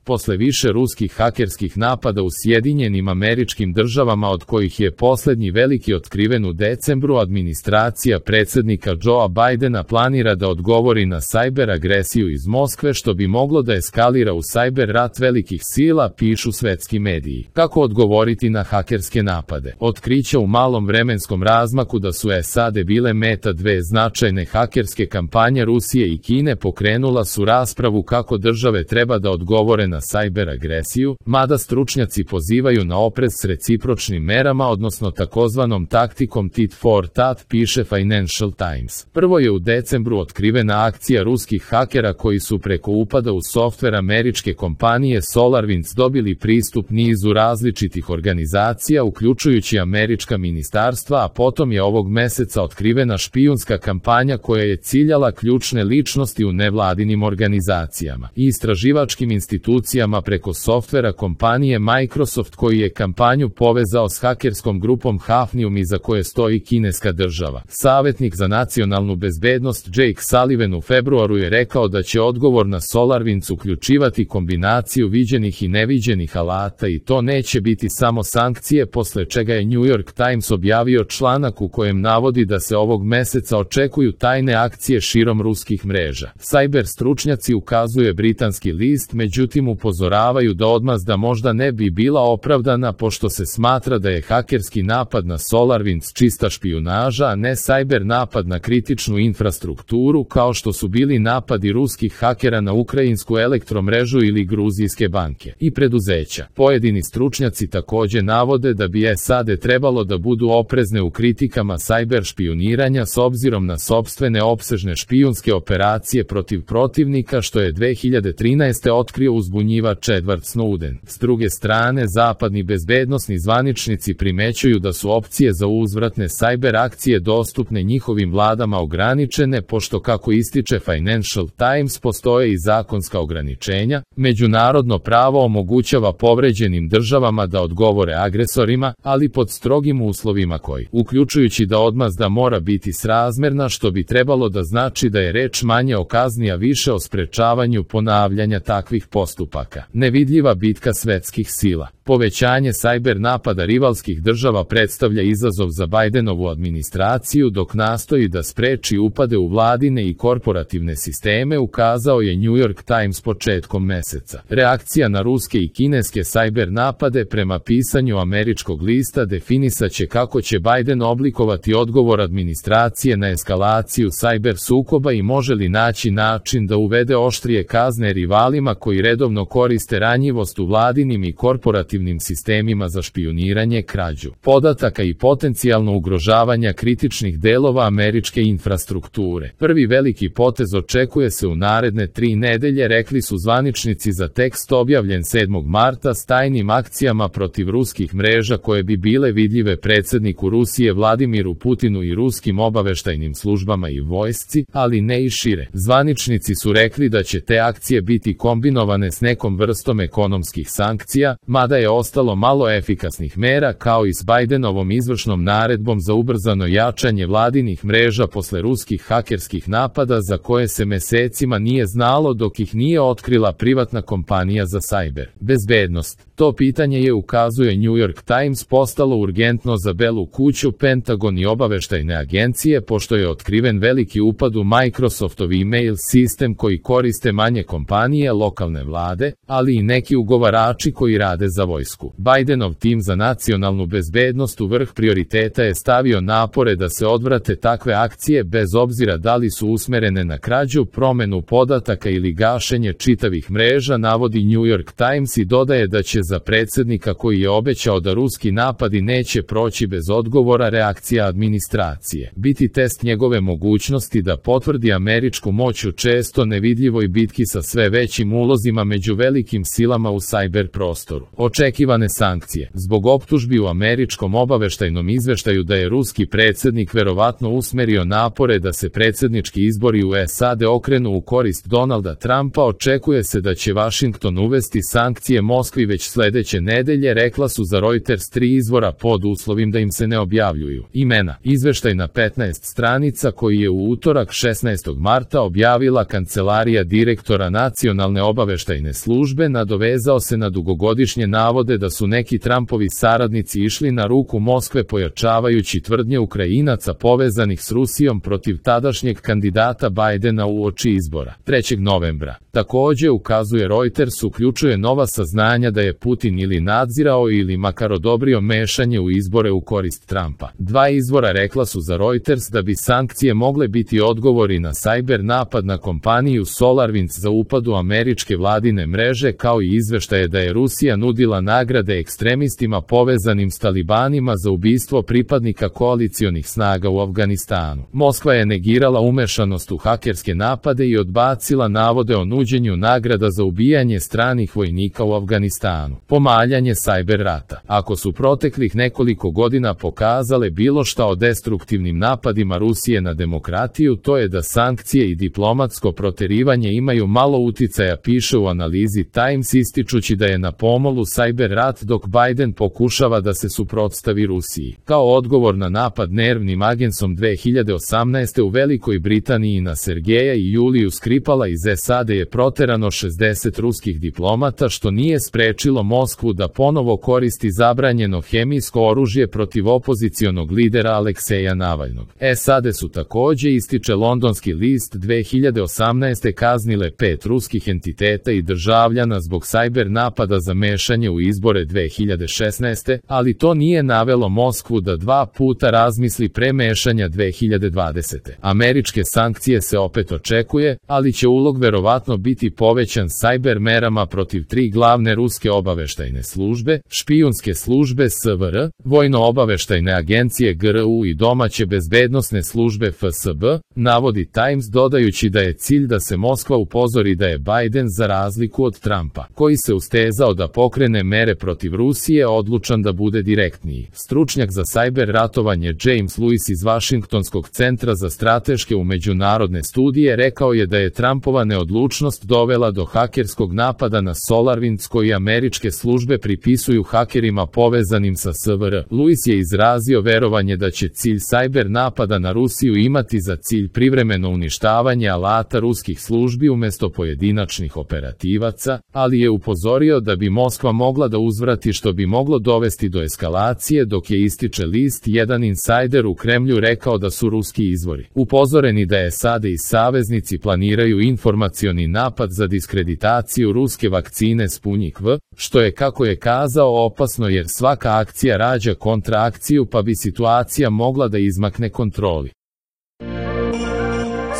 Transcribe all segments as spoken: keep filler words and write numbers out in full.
Posle više ruskih hakerskih napada u Sjedinjenim Američkim Državama, od kojih je poslednji veliki otkriven u decembru, administracija predsjednika Joea Bidena planira da odgovori na sajber agresiju iz Moskve, što bi moglo da eskalira u sajber rat velikih sila, pišu svetski mediji. Kako odgovoriti na hakerske napade? Otkrića u malom vremenskom razmaku da su S A D bile meta dve značajne hakerske kampanje Rusije i Kine pokrenula su raspravu kako države treba da odgovore na sajber agresiju, mada stručnjaci pozivaju na oprez s recipročnim merama, odnosno takozvanom taktikom tit for tat, piše Financial Times. Prvo je u decembru otkrivena akcija ruskih hakera koji su preko upada u softver američke kompanije SolarWinds dobili pristup nizu različitih organizacija, uključujući američka ministarstva, a potom je ovog meseca otkrivena špijunska kampanja koja je ciljala ključne ličnosti u nevladinim organizacijama i istraživačkim institucijama preko softvera kompanije Microsoft, koji je kampanju povezao s hakerskom grupom Hafnium iza koje stoji kineska država. Savetnik za nacionalnu bezbednost Jake Sullivan u februaru je rekao da će odgovor na SolarWinds uključivati kombinaciju viđenih i neviđenih alata i to neće biti samo sankcije, posle čega je New York Times objavio članak u kojem navodi da se ovog meseca očekuju tajne akcije širom ruskih mreža. Sajber stručnjaci, ukazuje britanski list, međutim upozoravaju da odmazda možda ne bi bila opravdana, pošto se smatra da je hakerski napad na SolarWinds čista špijunaža, a ne sajber napad na kritičnu infrastrukturu, kao što su bili napadi ruskih hakera na ukrajinsku elektromrežu ili gruzijske banke i preduzeća. Pojedini stručnjaci takođe navode da bi S A D trebalo da budu oprezne u kritikama sajber špijuniranja s obzirom na sopstvene opsežne špijunske operacije protiv protivnika, što je dve hiljade trinaeste. otkrio uzbunjivač Edward Snowden. S druge strane, zapadni bezbednosni zvaničnici primećuju da su opcije za uzvratne sajber akcije dostupne njihovim vladama ograničene, pošto, kako ističe Financial Times, postoje i zakonska ograničenja. Međunarodno pravo omogućava povređenim državama da odgovore agresorima, ali pod strogim uslovima koji, uključujući da odmazda mora biti srazmerna, što bi trebalo da znači da je reč manje o kazni, a više o sprečavanju ponavljanja takvih postupaka. Nevidljiva bitka svetskih sila. Povećanje sajber napada rivalskih država predstavlja izazov za Bidenovu administraciju dok nastoji da spreči upade u vladine i korporativne sisteme, ukazao je New York Times početkom meseca. Reakcija na ruske i kineske sajber napade, prema pisanju američkog lista, definisaće kako će Biden oblikovati odgovor administracije na eskalaciju sajber sukoba i može li naći način da uvede oštrije kazne rivalima koji redovno koriste ranjivost u vladinim i korporativnim sistemima za špijuniranje, krađu podataka i potencijalno ugrožavanja kritičnih delova američke infrastrukture. Prvi veliki potez očekuje se u naredne tri nedelje, rekli su zvaničnici za tekst objavljen sedmog marta, s tajnim akcijama protiv ruskih mreža koje bi bile vidljive predsjedniku Rusije Vladimiru Putinu i ruskim obaveštajnim službama i vojsci, ali ne i šire. Zvaničnici su rekli da će te akcije biti kombinovane s nekom vrstom ekonomskih sankcija, mada je ostalo malo efikasnih mera, kao i s Bidenovom izvršnom naredbom za ubrzano jačanje vladinih mreža posle ruskih hakerskih napada za koje se mesecima nije znalo dok ih nije otkrila privatna kompanija za sajber bezbednost. To pitanje je, ukazuje New York Times, postalo urgentno za Belu kuću, Pentagon i obaveštajne agencije, pošto je otkriven veliki upad u Microsoftov e-mail sistem koji koriste manje kompanije, lokalne vlade, ali i neki ugovarači koji rade za vojsku. Bidenov tim za nacionalnu bezbednost u vrh prioriteta je stavio napore da se odvrate takve akcije, bez obzira da li su usmerene na krađu, promenu podataka ili gašenje čitavih mreža, navodi New York Times i dodaje da će za predsjednika, koji je obećao da ruski napadi neće proći bez odgovora, reakcija administracije biti test njegove mogućnosti da potvrdi američku moć u često nevidljivoj bitki sa sve većim ulozima među velikim silama u sajber prostoru. Očekuje očekivane sankcije. Zbog optužbi u američkom obaveštajnom izveštaju da je ruski predsjednik verovatno usmerio napore da se predsjednički izbori u S A D okrenu u korist Donalda Trumpa, očekuje se da će Vašington uvesti sankcije Moskvi već sledeće nedelje, rekla su za Reuters tri izvora pod uslovim da im se ne objavljuju imena. Izveštaj na petnaest stranica koji je u utorak šesnaestog marta objavila kancelarija direktora Nacionalne obaveštajne službe nadovezao se na dugogodišnje navode da su neki Trumpovi saradnici išli na ruku Moskve pojačavajući tvrdnje Ukrajinaca povezanih s Rusijom protiv tadašnjeg kandidata Bajdena uoči izbora. trećeg novembra. Takođe, ukazuje Reuters, uključuje nova saznanja da je Putin ili nadzirao ili makar odobrio mešanje u izbore u korist Trumpa. Dva izvora rekla su za Reuters da bi sankcije mogle biti odgovori na sajber napad na kompaniju SolarWinds za upad u američke vladine mreže, kao i izveštaje da je Rusija nudila nagrade ekstremistima povezanim s talibanima za ubistvo pripadnika koalicionih snaga u Afganistanu. Moskva je negirala umešanost u hakerske napade i odbacila navode o nuđenju nagrada za ubijanje stranih vojnika u Afganistanu. Pomaljanje sajber rata. Ako su proteklih nekoliko godina pokazale bilo šta o destruktivnim napadima Rusije na demokratiju, to je da sankcije i diplomatsko proterivanje imaju malo uticaja, piše u analizi Times, ističući da je na pomolu sajber rat dok Biden pokušava da se suprotstavi Rusiji. Kao odgovor na napad nervnim agensom dve hiljade osamnaeste. u Velikoj Britaniji na Sergeja i Juliju Skripala iz S A D je proterano šezdeset ruskih diplomata, što nije sprečilo Moskvu da ponovo koristi zabranjeno hemijsko oružje protiv opozicionog lidera Alekseja Navalnog. S A D su takođe, ističe londonski list, dve hiljade osamnaeste. kaznile pet ruskih entiteta i državljana zbog sajber napada za mešanje u izbore dve hiljade šesnaeste. ali to nije navelo Moskvu da dva puta razmisli pre mešanja dve hiljade dvadesete. Američke sankcije se opet očekuje, ali će ulog verovatno biti povećan sajber merama protiv tri glavne ruske obaveštajne službe, špijunske službe S V R, vojno-obaveštajne agencije G R U i domaće bezbednosne službe F S B, navodi Times, dodajući da je cilj da se Moskva upozori da je Biden, za razliku od Trumpa, koji se ustezao da pokrene mere protiv Rusije, odlučan da bude direktniji. Stručnjak za sajber ratovanje James Lewis iz Vašingtonskog centra za strateške u međunarodne studije rekao je da je Trumpova neodlučnost dovela do hakerskog napada na SolarWinds koji američke službe pripisuju hakerima povezanim sa S V R. Lewis je izrazio verovanje da će cilj sajber napada na Rusiju imati za cilj privremeno uništavanje alata ruskih službi umesto pojedinačnih operativaca, ali je upozorio da bi Moskva mogla da uzvrati, što bi moglo dovesti do eskalacije, dok je, ističe list, jedan insajder u Kremlju rekao da su ruski izvori upozoreni da S A D i saveznici planiraju informacioni napad za diskreditaciju ruske vakcine Sputnik V, što je, kako je kazao, opasno jer svaka akcija rađa kontraakciju, pa bi situacija mogla da izmakne kontroli.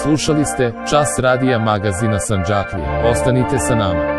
Slušali ste Čas radija magazina Sandžaklije. Ostanite sa nama.